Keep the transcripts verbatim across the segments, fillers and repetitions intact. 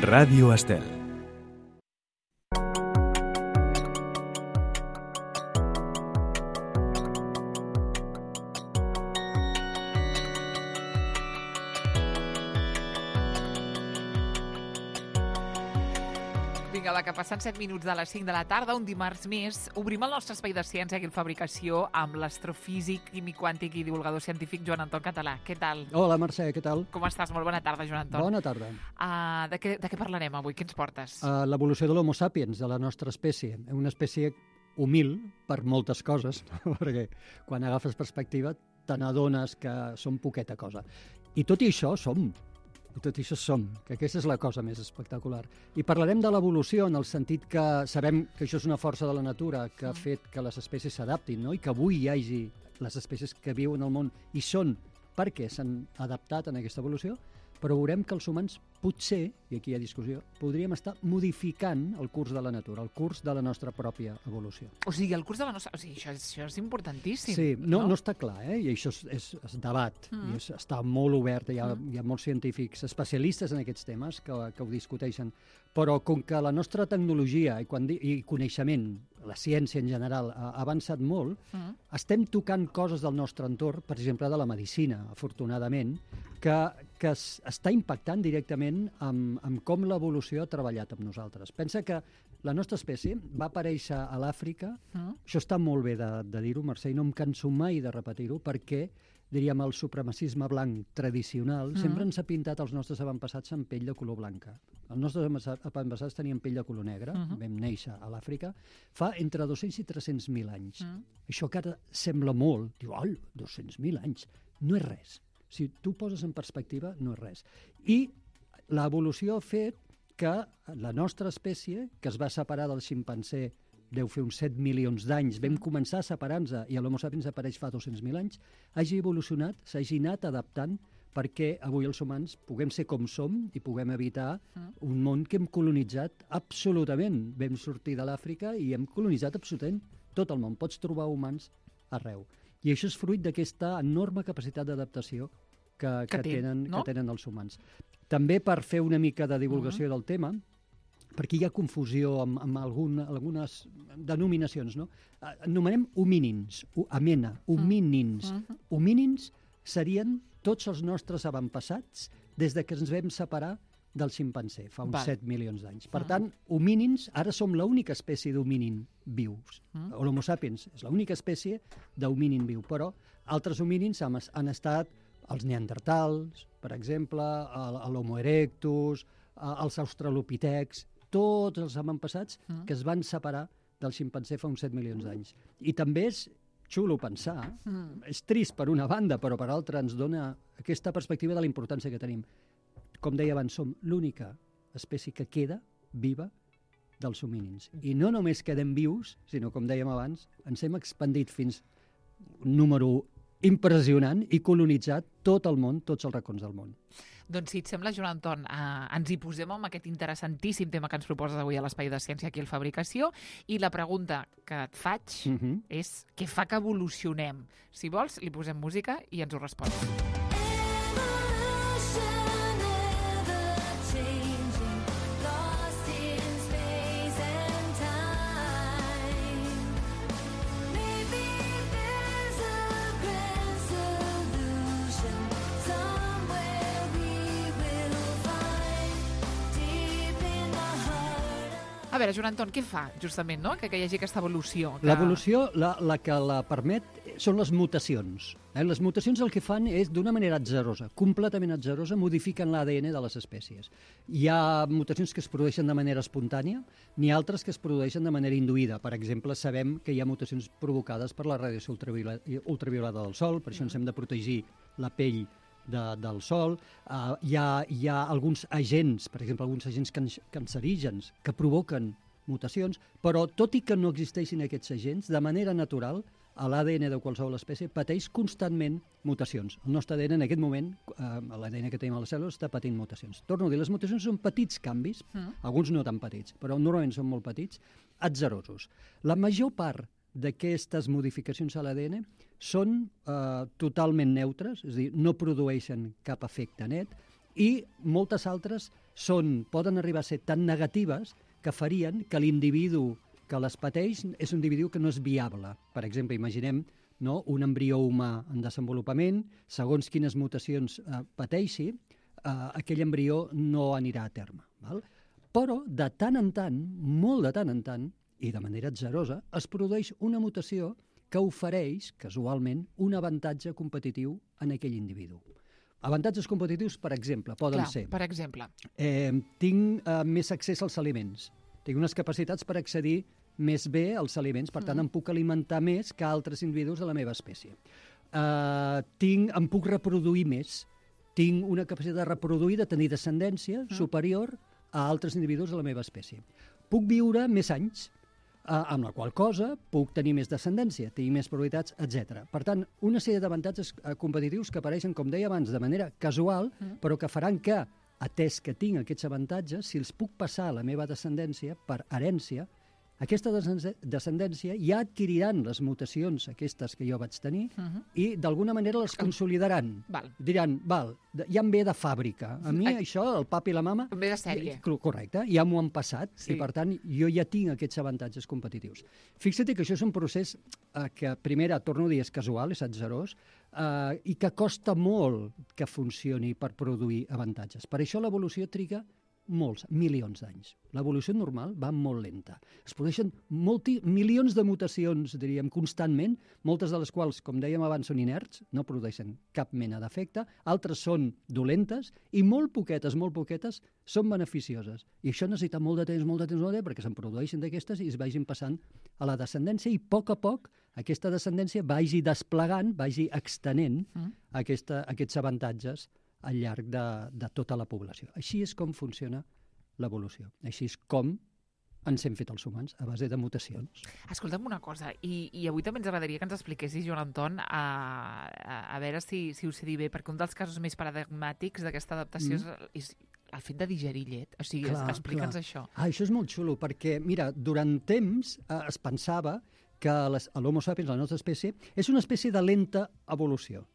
Ràdio Estel. Vinga, va, que passen set minuts de les cinc de la tarda, un dimarts més. Obrim el nostre espai de ciència aquí al Fabricació amb l'astrofísic, químic quàntic i divulgador científic Joan Anton Català. Què tal? Hola, Mercè, què tal? Com estàs? Molt bona tarda, Joan Anton. Bona tarda. Uh, de, què, de què parlarem avui? Què ens portes? Uh, L'evolució de l'Homo sapiens, de la nostra espècie. Una espècie humil per moltes coses, perquè quan agafes perspectiva te n'adones que som poqueta cosa. I tot i això som. I tot això som, que aquesta és la cosa més espectacular. I parlarem de l'evolució en el sentit que sabem que això és una força de la natura que ha fet que les espècies s'adaptin, no? I que avui hi hagi les espècies que viuen al món i són perquè s'han adaptat en aquesta evolució, però veurem que els humans potser, i aquí hi ha discussió, podríem estar modificant el curs de la natura, el curs de la nostra pròpia evolució. O sigui, el curs de la nostra... O sigui, això, és, això és importantíssim. Sí, no, no? no està clar, eh? I això és, és, és debat, Mm. i és, està molt obert, hi ha, Mm. hi ha molts científics especialistes en aquests temes que, que ho discuteixen, però com que la nostra tecnologia i, quan, di- i coneixement, la ciència en general, ha ha avançat molt, Mm. estem tocant coses del nostre entorn, per exemple, de la medicina, afortunadament, que, que es, està impactant directament amb, amb com l'evolució ha treballat amb nosaltres. Pensa que la nostra espècie va aparèixer a l'Àfrica, Mm. això està molt bé de, de dir-ho, Mercè, i no em canso mai de repetir-ho, perquè, diríem, el supremacisme blanc tradicional Mm. sempre ens ha pintat els nostres avantpassats amb pell de color blanca. Els nostres avantpassats avantpassats tenien pell de color negre, Mhm. vam néixer a l'Àfrica, fa entre dos-cents i tres-cents mil anys. Mm. Això que ara sembla molt, diu, ai, dos-cents mil anys, no és res. Si tu poses en perspectiva, no és res. I l'evolució ha fet que la nostra espècie, que es va separar del ximpanzé deu fer uns set milions d'anys, vam començar a separar-nos i l'Homo sapiens apareix fa dos-cents mil anys, hagi evolucionat, s'hagi anat adaptant perquè avui els humans puguem ser com som i puguem evitar un món que hem colonitzat absolutament. Vam sortir de l'Àfrica i hem colonitzat absolutament tot el món. Pots trobar humans arreu. I això és fruit d'aquesta enorme capacitat d'adaptació que, Que que, té, tenen, no? que tenen els humans. També per fer una mica de divulgació del tema, perquè hi ha confusió amb, amb algun, algunes denominacions, no? Eh, Anomenem homínins, hu- amena, homínins. Mhm. Homínins serien tots els nostres avantpassats des de que ens vam separar del ximpanzé, fa uns Val. set milions d'anys. Per Mhm. tant, homínins, ara som l'única espècie d'homínin vius. Mhm. L'Homo sapiens és l'única espècie d'homínin viu, però altres homínins han, han estat els neandertals, per exemple, el- l'Homo erectus, eh, els australopitecs, tots els avantpassats Mhm. que es van separar del ximpanzé fa uns set milions d'anys. I també és xulo pensar, Mm. és trist per una banda, però per altra ens dona aquesta perspectiva de la importància que tenim. Com deia abans, som l'única espècie que queda viva dels homínins. I no només quedem vius, sinó, com dèiem abans, ens hem expandit fins un número impressionant i colonitzat tot el món, tots els racons del món. Doncs si et sembla, Joan Anton, eh, ens hi posem amb aquest interessantíssim tema que ens proposes avui a l'Espai de Ciència aquí al Fabricació, i la pregunta que et faig Uh -huh. és què fa que evolucionem? Si vols, li posem música i ens ho respon. A veure, Joan Anton, què fa, justament, no? que, que hi hagi aquesta evolució? Que... L'evolució, la, la que la permet, són les mutacions. Eh? Les mutacions el que fan és, d'una manera atzerosa, completament atzerosa, modifiquen l'A D N de les espècies. Hi ha mutacions que es produeixen de manera espontània, n'hi ha altres que es produeixen de manera induïda. Per exemple, sabem que hi ha mutacions provocades per la radiació ultravioleta, ultravioleta del Sol, per això ens hem de protegir la pell de, del sol. Uh, hi, ha, hi ha alguns agents, per exemple, alguns agents can cancerígens que provoquen mutacions, però tot i que no existeixin aquests agents, de manera natural, l'A D N de qualsevol espècie pateix constantment mutacions. El nostre A D N en aquest moment, eh, l'A D N que tenim a les cèl·lules, està patint mutacions. Torno a dir, les mutacions són petits canvis, Mm. alguns no tan petits, però normalment són molt petits, atzerosos. La major part d'aquestes modificacions a l'A D N són eh, totalment neutres, és a dir, no produeixen cap efecte net, I moltes altres són, poden arribar a ser tan negatives que farien que l'individu que les pateix és un individu que no és viable. Per exemple, imaginem, no, un embrió humà en desenvolupament, segons quines mutacions eh, pateixi, eh, aquell embrió no anirà a terme. Val? Però, de tant en tant, molt de tant en tant, i de manera atzerosa, es produeix una mutació que ofereix, casualment, un avantatge competitiu en aquell individu. Avantatges competitius, per exemple, poden Clar, ser... per exemple. Eh, tinc eh, més accés als aliments. Tinc unes capacitats per accedir més bé als aliments, per tant, mm. em puc alimentar més que altres individus de la meva espècie. Eh, tinc, em puc reproduir més. Tinc una capacitat de reproduir, de tenir descendència mm. superior a altres individus de la meva espècie. Puc viure més anys, eh, amb la qual cosa puc tenir més descendència, tenir més probabilitats, etcètera. Per tant, una sèrie d'avantatges eh, competitius que apareixen, com deia abans, de manera casual, mm. però que faran que, atès que tinc aquests avantatges, si els puc passar a la meva descendència per herència, aquesta descendència ja adquiriran les mutacions aquestes que jo vaig tenir uh -huh. i d'alguna manera les consolidaran. Val. Diran, val, ja em ve de fàbrica. A mi Ai. això, el papa i la mama... Em ve de sèrie. Correcte, ja m'ho han passat Sí. i per tant jo ja tinc aquests avantatges competitius. Fixa't que això és un procés eh, que, primera, torno a dir, és casual, és atzerós, eh, i que costa molt que funcioni per produir avantatges. Per això l'evolució triga molts, milions d'anys. L'evolució normal va molt lenta. Es produeixen molti, milions de mutacions, diríem, constantment, moltes de les quals, com dèiem abans, són inerts, no produeixen cap mena d'efecte, altres són dolentes, i molt poquetes, molt poquetes, són beneficioses. I això necessita molt de temps, molt de temps, molt de temps, perquè se'n produeixen d'aquestes i es vagin passant a la descendència, i a poc a poc aquesta descendència vagi desplegant, vagi extenent mm. aquesta, aquests avantatges al llarg de, de tota la població. Així és com funciona l'evolució. Així és com ens hem fet els humans, a base de mutacions. Escolta'm una cosa, i, i avui també ens agradaria que ens expliquessis, Joan Anton, a, a, a veure si, si ho sé dir bé, perquè un dels casos més paradigmàtics d'aquesta adaptació mm. és, és el fet de digerir llet. O sigui, explica'ns això. Ah, això és molt xulo, perquè, mira, durant temps eh, es pensava que l'Homo sapiens, la nostra espècie, és una espècie de lenta evolució.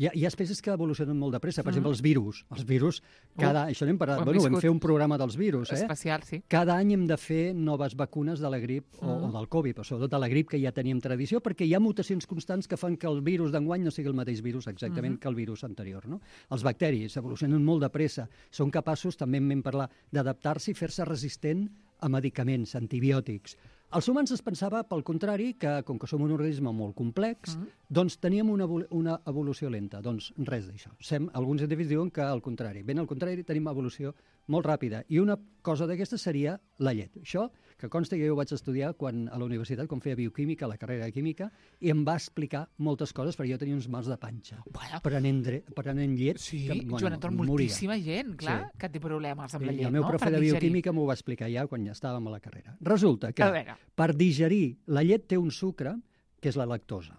Hi ha, hi ha espècies que evolucionen molt de pressa, per mm. exemple, els virus. Els virus, cada... Uh, això n'hem parlat, bueno, vam fer un programa dels virus, eh? Especial, sí. Cada any hem de fer noves vacunes de la grip mm. o, o del Covid, però sobretot de la grip, que ja teníem tradició, perquè hi ha mutacions constants que fan que el virus d'enguany no sigui el mateix virus exactament mm. que el virus anterior, no? Els bacteris evolucionen molt de pressa, són capaços, també en vam parlar, d'adaptar-se i fer-se resistent a medicaments, antibiòtics. Els humans es pensava, pel contrari, que com que som un organisme molt complex, mm. doncs teníem una, una evolució lenta. Doncs res d'això. Sem, alguns científics diuen que al contrari. Ben al contrari, tenim evolució molt ràpida. I una cosa d'aquesta seria la llet. Això, que consta que jo ho vaig estudiar quan, a la universitat, quan feia bioquímica, la carrera de química, i em va explicar moltes coses, perquè jo tenia uns mals de panxa. Bueno, prenent, prenent llet... Sí, que, bueno, Joan Anton, moltíssima gent, clar, sí. que té problemes amb la llet, I el meu no? profe de bioquímica m'ho va explicar ja quan ja estàvem a la carrera. Resulta que per digerir, la llet té un sucre, que és la lactosa.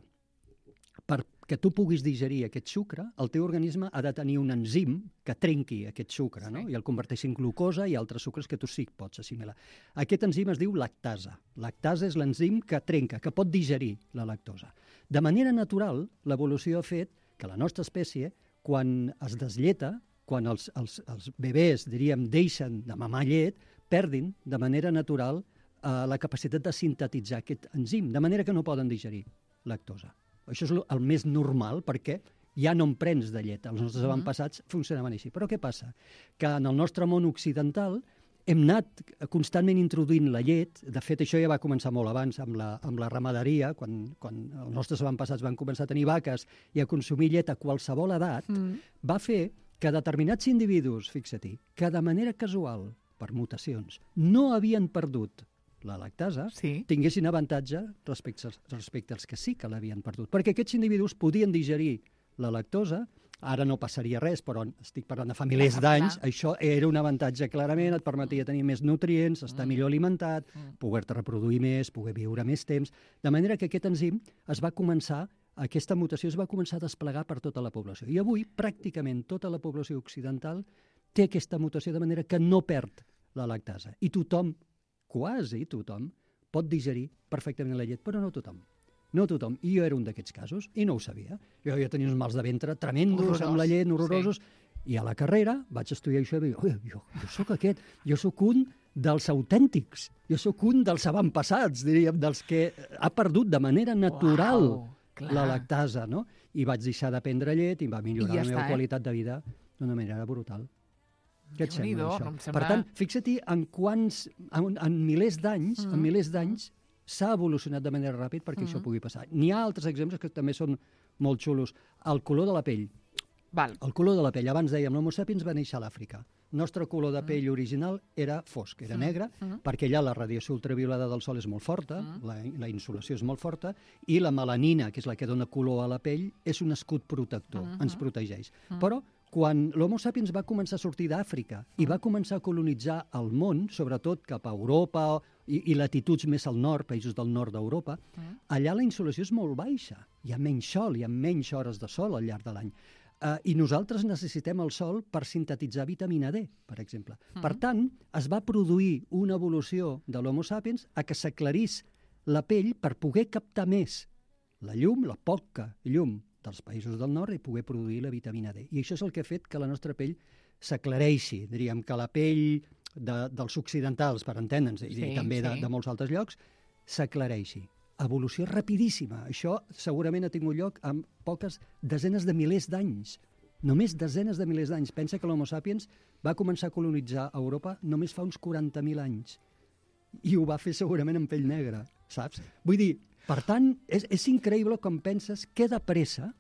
Perquè tu puguis digerir aquest sucre, el teu organisme ha de tenir un enzim que trenqui aquest sucre, sí. no? I el converteixi en glucosa i altres sucres que tu sí que pots assimilar. Aquest enzim es diu lactasa. Lactasa és l'enzim que trenca, que pot digerir la lactosa. De manera natural, l'evolució ha fet que la nostra espècie, quan es deslleta, quan els, els, els bebès, diríem, deixen de mamar llet, perdin de manera natural eh, la capacitat de sintetitzar aquest enzim, de manera que no poden digerir lactosa. Això és el més normal, perquè ja no en prens de llet. Els nostres avantpassats funcionaven així. Però què passa? Que en el nostre món occidental hem anat constantment introduint la llet. De fet, això ja va començar molt abans amb la, amb la ramaderia, quan, quan els nostres avantpassats van començar a tenir vaques i a consumir llet a qualsevol edat, mm. va fer que determinats individus, fixa-t'hi, que de manera casual, per mutacions, no havien perdut la lactasa, sí. tinguessin avantatge respecte, respecte als que sí que l'havien perdut. Perquè aquests individus podien digerir la lactosa, ara no passaria res, però estic parlant de fa milers d'anys, això era un avantatge clarament, et permetia tenir més nutrients, estar millor alimentat, poder-te reproduir més, poder viure més temps, de manera que aquest enzim es va començar, aquesta mutació es va començar a desplegar per tota la població. I avui, pràcticament tota la població occidental té aquesta mutació de manera que no perd la lactasa. I tothom, quasi tothom, pot digerir perfectament la llet, però no tothom. No tothom. I jo era un d'aquests casos, i no ho sabia. Jo ja tenia uns mals de ventre tremendos, horrorós, amb la llet, horrorosos, sí. I a la carrera vaig estudiar això i vaig dir, jo, jo sóc aquest, jo sóc un dels autèntics, jo sóc un dels avantpassats, diríem, dels que ha perdut de manera natural Uau, la lactasa, no? I vaig deixar de prendre llet i va millorar ja la meva està, eh? qualitat de vida d'una manera brutal. Què et sembla, això? No sembla... Per tant, fixa-t'hi en quants, en, en milers d'anys, mm. en milers d'anys, s'ha evolucionat de manera ràpida perquè mm. això pugui passar. N'hi ha altres exemples que també són molt xulos. El color de la pell. Val. El color de la pell. Abans dèiem, l'Homo sapiens va néixer a l'Àfrica. El nostre color de pell mm. original era fosc, era mm. negre, mm. perquè allà la radiació ultraviolada del sol és molt forta, mm. la, la insolació és molt forta, i la melanina, que és la que dona color a la pell, és un escut protector, mm. ens protegeix. Mm. Però quan l'Homo sapiens va començar a sortir d'Àfrica i va començar a colonitzar el món, sobretot cap a Europa i, i latituds més al nord, països del nord d'Europa, mm. allà la insolació és molt baixa. Hi ha menys sol, hi ha menys hores de sol al llarg de l'any. Uh, I nosaltres necessitem el sol per sintetitzar vitamina D, per exemple. Mm. Per tant, es va produir una evolució de l'Homo sapiens a que s'aclarís la pell per poder captar més la llum, la poca llum dels països del nord i poder produir la vitamina D. I això és el que ha fet que la nostra pell s'aclareixi. Diríem que la pell de, dels occidentals, per entendre'ns, i sí, també sí. de, de molts altres llocs, s'aclareixi. Evolució rapidíssima. Això segurament ha tingut lloc en poques desenes de milers d'anys. Només desenes de milers d'anys. Pensa que l'Homo sapiens va començar a colonitzar Europa només fa uns quaranta mil anys. I ho va fer segurament amb pell negra, saps? Vull dir, per tant, és, és increïble com penses que de pressa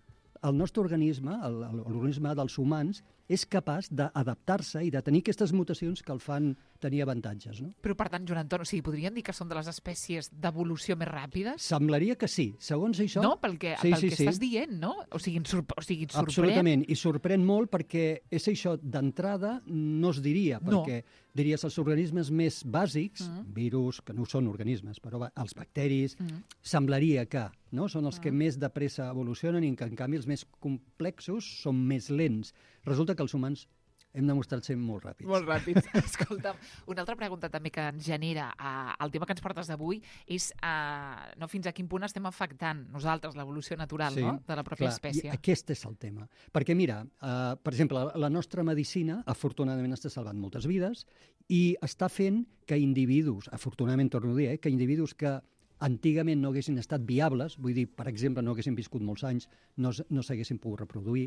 el nostre organisme, l'organisme dels humans, és capaç d'adaptar-se i de tenir aquestes mutacions que el fan tenir avantatges. No? Però, per tant, Joan Anton, o sigui, podríem dir que són de les espècies d'evolució més ràpides? Semblaria que sí. Segons això... No, pel que, sí, pel sí, que sí. estàs dient, no? O sigui, ens, sorp o sigui, ens sorprèn... Absolutament, i sorprèn molt perquè és això, d'entrada no es diria, perquè no. diries els organismes més bàsics, mm. virus, que no són organismes, però els bacteris, mm. semblaria que no? són els mm. que més de pressa evolucionen i que, en canvi, els més complexos són més lents. Resulta que els humans hem demostrat ser molt ràpids. Molt ràpids. Escolta'm, una altra pregunta també que ens genera uh, el tema que ens portes d'avui és uh, no, fins a quin punt estem afectant nosaltres l'evolució natural sí, no? de la pròpia clar, espècie. I aquest és el tema. Perquè mira, uh, per exemple, la nostra medicina afortunadament està salvant moltes vides i està fent que individus, afortunadament torno a dir, eh, que individus que antigament no haguessin estat viables, vull dir, per exemple, no haguessin viscut molts anys, no, no s'haguessin pogut reproduir,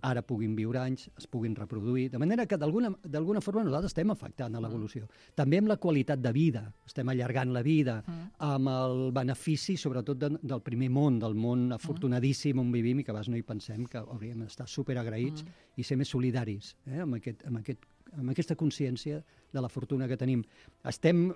ara puguin viure anys, es puguin reproduir, de manera que d'alguna forma nosaltres estem afectant a l'evolució. Mm. També amb la qualitat de vida, estem allargant la vida, mm. amb el benefici, sobretot de, del primer món, del món afortunadíssim on vivim i que a vegades no hi pensem, que hauríem d'estar superagraïts mm. i ser més solidaris eh, amb, aquest, amb, aquest, amb aquesta consciència de la fortuna que tenim. Estem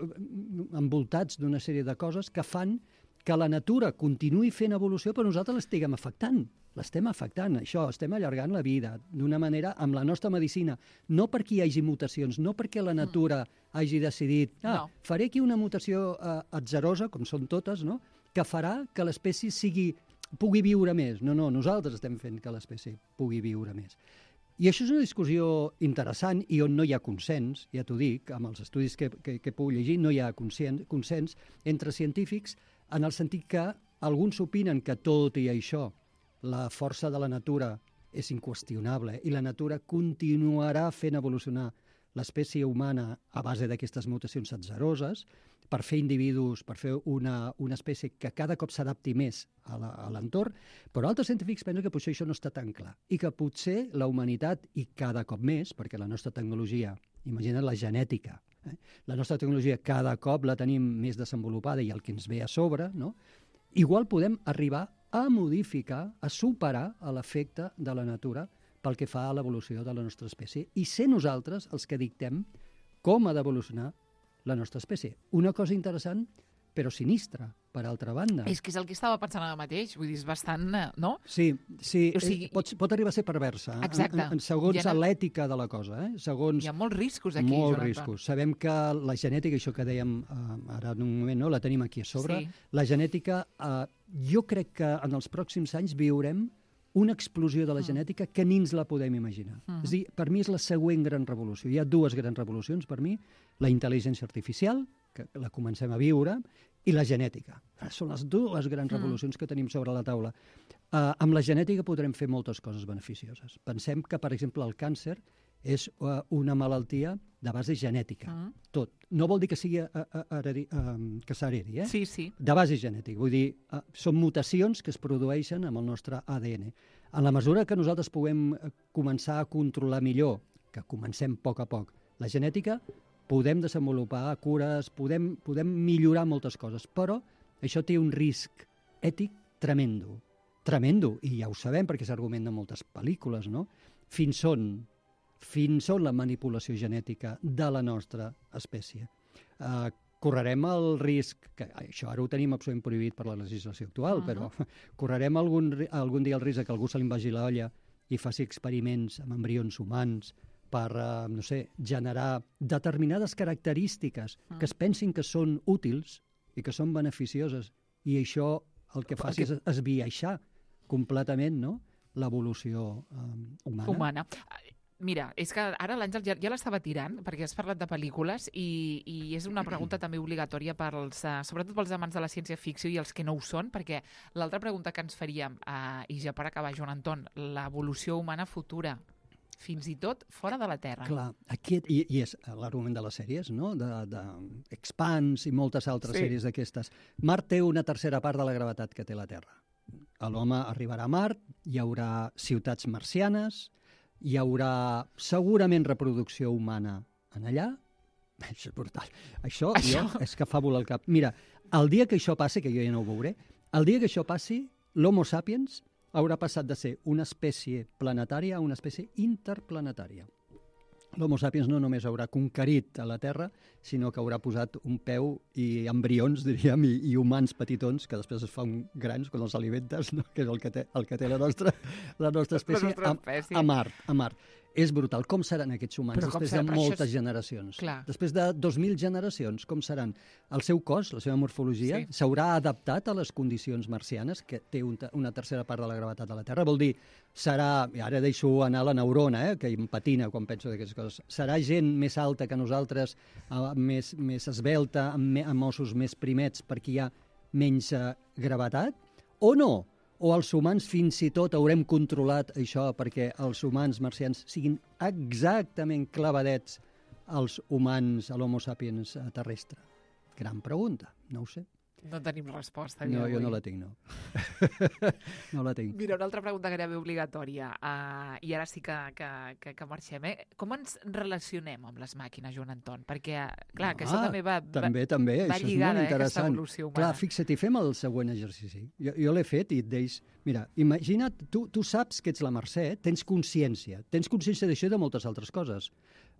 envoltats d'una sèrie de coses que fan que la natura continuï fent evolució, però nosaltres l'estiguem afectant. L'estem afectant, això, estem allargant la vida d'una manera amb la nostra medicina, no perquè hi hagi mutacions, no perquè la natura hagi decidit, ah, no. faré aquí una mutació eh, atzerosa, com són totes, no? que farà que l'espècie sigui, pugui viure més. No, no, nosaltres estem fent que l'espècie pugui viure més. I això és una discussió interessant i on no hi ha consens, ja t'ho dic, amb els estudis que, que, que puc llegir, no hi ha consens, consens entre científics, en el sentit que alguns opinen que tot i això la força de la natura és inqüestionable i la natura continuarà fent evolucionar l'espècie humana a base d'aquestes mutacions atzeroses per fer individus, per fer una, una espècie que cada cop s'adapti més a l'entorn, però altres científics pensen que potser això no està tan clar i que potser la humanitat, i cada cop més, perquè la nostra tecnologia, imagina't la genètica, eh? la nostra tecnologia cada cop la tenim més desenvolupada i el que ens ve a sobre, no? Igual podem arribar a modificar, a superar l'efecte de la natura pel que fa a l'evolució de la nostra espècie i ser nosaltres els que dictem com ha d'evolucionar la nostra espècie. Una cosa interessant, però sinistra, per altra banda. És que és el que estava pensant ara mateix, vull dir, és bastant, no? Sí, sí, o sigui, eh, pot, pot arribar a ser perversa. Exacte. En, en, segons ha... l'ètica de la cosa. Eh? Segons... Hi ha molts riscos aquí, Molts Joan riscos. Anton. Sabem que la genètica, això que dèiem uh, ara en un moment, no? la tenim aquí a sobre, sí. la genètica, uh, jo crec que en els pròxims anys viurem una explosió de la genètica que ni ens la podem imaginar. Uh -huh. És a dir, per mi és la següent gran revolució. Hi ha dues grans revolucions per mi, la intel·ligència artificial, que la comencem a viure, i la genètica. Són les dues grans revolucions que tenim sobre la taula. Uh, amb la genètica podrem fer moltes coses beneficioses. Pensem que, per exemple, el càncer és uh, una malaltia de base genètica. Mm. Tot. No vol dir que sigui uh, uh, heredi, uh, que s'heredi, eh? Sí, sí. De base genètica. Vull dir, uh, són mutacions que es produeixen amb el nostre A D N. En la mesura que nosaltres puguem començar a controlar millor, que comencem a poc a poc, la genètica, podem desenvolupar cures, podem, podem millorar moltes coses, però això té un risc ètic tremendo. Tremendo, i ja ho sabem perquè s'argumenta en moltes pel·lícules, no? Fins on fins on la manipulació genètica de la nostra espècie. Uh, correrem el risc, que això ara ho tenim absolutament prohibit per la legislació actual, uh -huh. però correrem algun, algun dia el risc que algú se li vagi la olla i faci experiments amb embrions humans per, uh, no sé, generar determinades característiques uh -huh. que es pensin que són útils i que són beneficioses, i això el que faci és esbiaixar completament, no?, l'evolució um, humana. Humana. Mira, és que ara l'Àngel ja, ja l'estava tirant, perquè has parlat de pel·lícules, i, i és una pregunta també obligatòria pels, uh, sobretot pels amants de la ciència-ficció i els que no ho són, perquè l'altra pregunta que ens faríem, uh, i ja per acabar, Joan Anton, l'evolució humana futura, fins i tot fora de la Terra. Clar, aquest, i, i és l'argument de les sèries, no?, de, de Expanse i moltes altres sí. sèries d'aquestes. Mart té una tercera part de la gravetat que té la Terra. L'home arribarà a Mart, hi haurà ciutats marcianes, hi haurà segurament reproducció humana en allà. Això és brutal. Això, això? Jo, és que fa volar el cap. Mira, el dia que això passi, que jo ja no ho veuré, el dia que això passi, l'Homo sapiens haurà passat de ser una espècie planetària a una espècie interplanetària. L'Homo sapiens no només haurà conquerit a la Terra, sinó que haurà posat un peu i embrions, diríem, i, i humans petitons, que després es fan grans quan els alimentes, no? Que és el que té, el que té la nostra, la nostra espècie, la nostra espècie. A, a Mart. A Mart. És brutal. Com seran aquests humans després de moltes és... generacions? Clar. Després de dos mil generacions, com seran? El seu cos, la seva morfologia, s'haurà sí. adaptat a les condicions marcianes, que té un, una tercera part de la gravetat de la Terra. Vol dir, serà, i ara deixo anar la neurona, eh, que em patina quan penso d'aquestes coses, serà gent més alta que nosaltres, uh, més, més esbelta, amb, me, amb ossos més primets, perquè hi ha menys uh, gravetat? O no? O els humans fins i tot haurem controlat això perquè els humans marcians siguin exactament clavadets als humans, a l'Homo sapiens terrestre? Gran pregunta, no ho sé. No tenim resposta. No, jo no la tinc, no. No la tinc. Mira, una altra pregunta gairebé obligatòria, uh, i ara sí que, que, que, que marxem. Eh? Com ens relacionem amb les màquines, Joan Anton? Perquè, clar, que ah, això també va, també, també. va això lligada, és molt aquesta evolució humana. Clar, fixa't, i fem el següent exercici. Jo, jo l'he fet i et deix... Mira, imagina't, tu, tu saps que ets la Mercè, tens consciència. Tens consciència d'això i de moltes altres coses.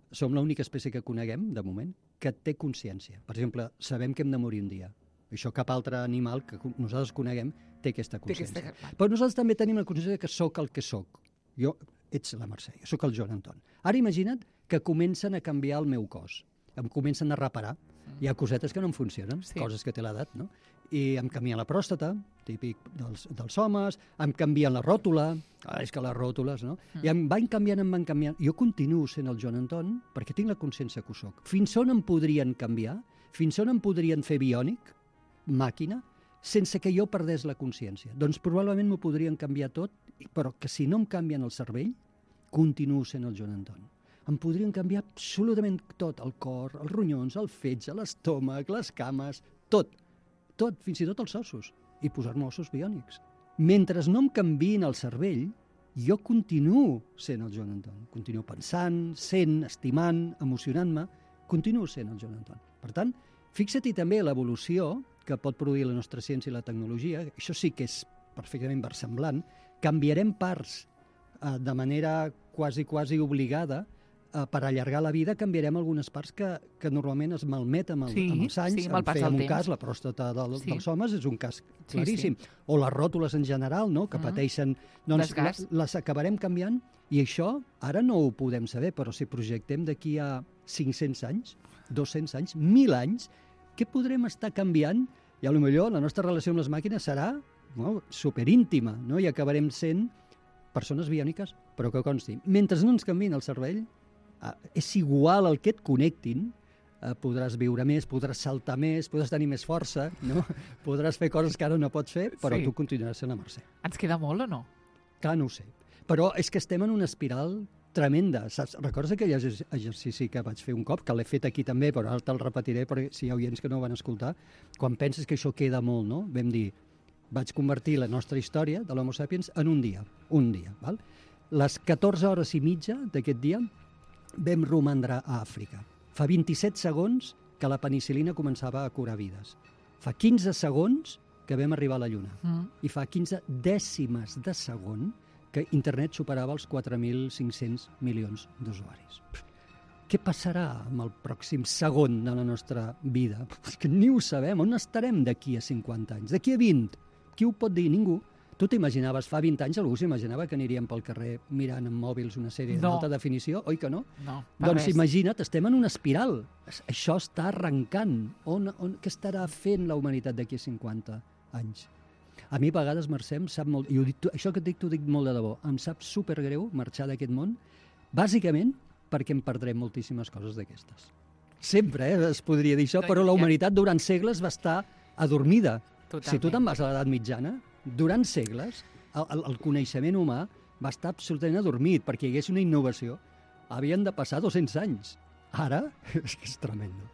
Som l'única espècie que coneguem, de moment, que té consciència. Per exemple, sabem que hem de morir un dia. Això cap altre animal que nosaltres coneguem té aquesta consciència. Té aquesta... Però nosaltres també tenim la consciència que sóc el que sóc. Jo, ets la Mercè, jo sóc el Joan Anton. Ara imagina't que comencen a canviar el meu cos. Em comencen a reparar. Hi ha cosetes que no em funcionen, sí. Coses que té l'edat, no? I em canvien la pròstata, típic dels, dels homes, em canvien la ròtula, ah, és que les ròtules, no? Mm. I em van canviant, em van canviant. Jo continuo sent el Joan Anton perquè tinc la consciència que ho soc. Fins on em podrien canviar? Fins on em podrien fer biònic? Màquina, sense que jo perdés la consciència. Doncs probablement m'ho podrien canviar tot, però que si no em canvien el cervell, continuo sent el Joan Anton. Em podrien canviar absolutament tot, el cor, els ronyons, el fetge, l'estómac, les cames, tot, tot, fins i tot els ossos, i posar-me ossos biònics. Mentre no em canviïn el cervell, jo continuo sent el Joan Anton. Continuo pensant, sent, estimant, emocionant-me, continuo sent el Joan Anton. Per tant, fixa-t'hi també l'evolució que pot produir la nostra ciència i la tecnologia, això sí que és perfectament versemblant, canviarem parts eh, de manera quasi, quasi obligada eh, per allargar la vida, canviarem algunes parts que, que normalment es malmeten amb, el, sí, amb els anys. Sí, amb el pas del temps. Un cas, la pròstata del, sí. dels homes és un cas claríssim. Sí, sí. O les ròtules en general, no?, que mm. pateixen... Doncs les, les acabarem canviant, i això ara no ho podem saber, però si projectem d'aquí a cinc-cents anys, dos-cents anys, mil anys, què podrem estar canviant? I potser la nostra relació amb les màquines serà no, superíntima, no? I acabarem sent persones biòniques, però que consti. Mentre no ens canviïn el cervell, eh, és igual el que et connectin, eh, podràs viure més, podràs saltar més, podràs tenir més força, no? Podràs fer coses que ara no pots fer, però Sí. tu continuaràs sent la Mercè. Ens queda molt o no? Clar, no ho sé. Però és que estem en una espiral tremenda, saps? Recordes aquell exer- exercici que vaig fer un cop, que l'he fet aquí també, però ara te'l repetiré perquè si hi ha oients que no ho van escoltar, quan penses que això queda molt, no? Vam dir, vaig convertir la nostra història de l'Homo sapiens en un dia, un dia, val? Les catorze hores i mitja d'aquest dia vam romandre a Àfrica. Fa vint-i-set segons que la penicil·lina començava a curar vides. Fa quinze segons que vam arribar a la Lluna. Mm. I fa quinze dècimes de segon que internet superava els quatre mil cinc-cents milions d'usuaris. Què passarà amb el pròxim segon de la nostra vida? És que ni ho sabem. On estarem d'aquí a cinquanta anys? D'aquí a vint? Qui ho pot dir? Ningú. Tu t'imaginaves, fa vint anys algú s'imaginava que aniríem pel carrer mirant amb mòbils una sèrie No. d'alta definició? Oi que no? No, per Doncs res. imagina't, estem en una espiral. Això està arrencant. On, on, què estarà fent la humanitat d'aquí a cinquanta anys? A mi a vegades, Mercè, em sap molt... I ho dic, això que et dic, t'ho dic molt de debò. Em sap supergreu marxar d'aquest món, bàsicament perquè em perdrem moltíssimes coses d'aquestes. Sempre, eh, es podria dir això, No, però la ja- humanitat durant segles va estar adormida. Totalment. Si tu te'n vas a l'edat mitjana, durant segles, el, el, el coneixement humà va estar absolutament adormit perquè hi hagués una innovació. Havien de passar dos-cents anys. Ara, és que és tremendo.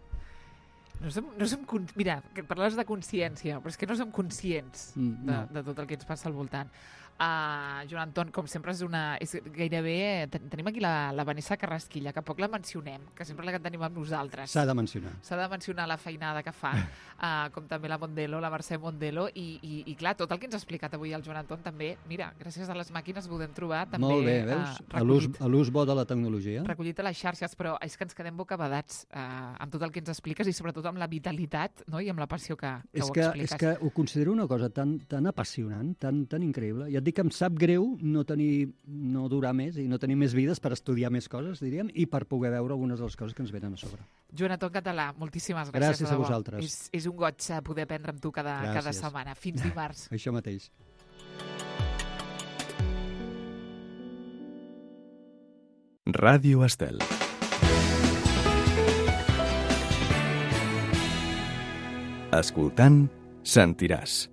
No som, no som, con- mira, que parles de consciència, però és que no som conscients Mm, de, no. de tot el que ens passa al voltant. Uh, Joan Anton, com sempre, és una... És gairebé... ten- Tenim aquí la, la Vanessa Carrasquilla, que poc la mencionem, que sempre la tenim amb nosaltres. S'ha de mencionar. S'ha de mencionar la feinada que fa, uh, com també la Mondelo, la Mercè Mondelo, i, i, i clar, tot el que ens ha explicat avui el Joan Anton també, mira, gràcies a les màquines podem trobar també Molt bé, eh, veus? A l'ús recollit, a l'ús bo de la tecnologia. recollit a les xarxes, però és que ens quedem bocabadats uh, amb tot el que ens expliques i sobretot amb la vitalitat, no?, i amb la passió que, que És ho que, expliques. és que ho considero una cosa tan, tan apassionant, tan, tan increïble. Ja et dic que em sap greu no tenir, no durar més i no tenir més vides per estudiar més coses, diríem, i per poder veure algunes de les coses que ens venen a sobre. Joan Anton Català, moltíssimes gràcies. Gràcies de a debò. vosaltres. És, és un goig eh, poder aprendre amb tu cada, cada Gràcies. setmana. Fins dimarts. Això mateix. Ràdio Estel. Escoltant, sentiràs.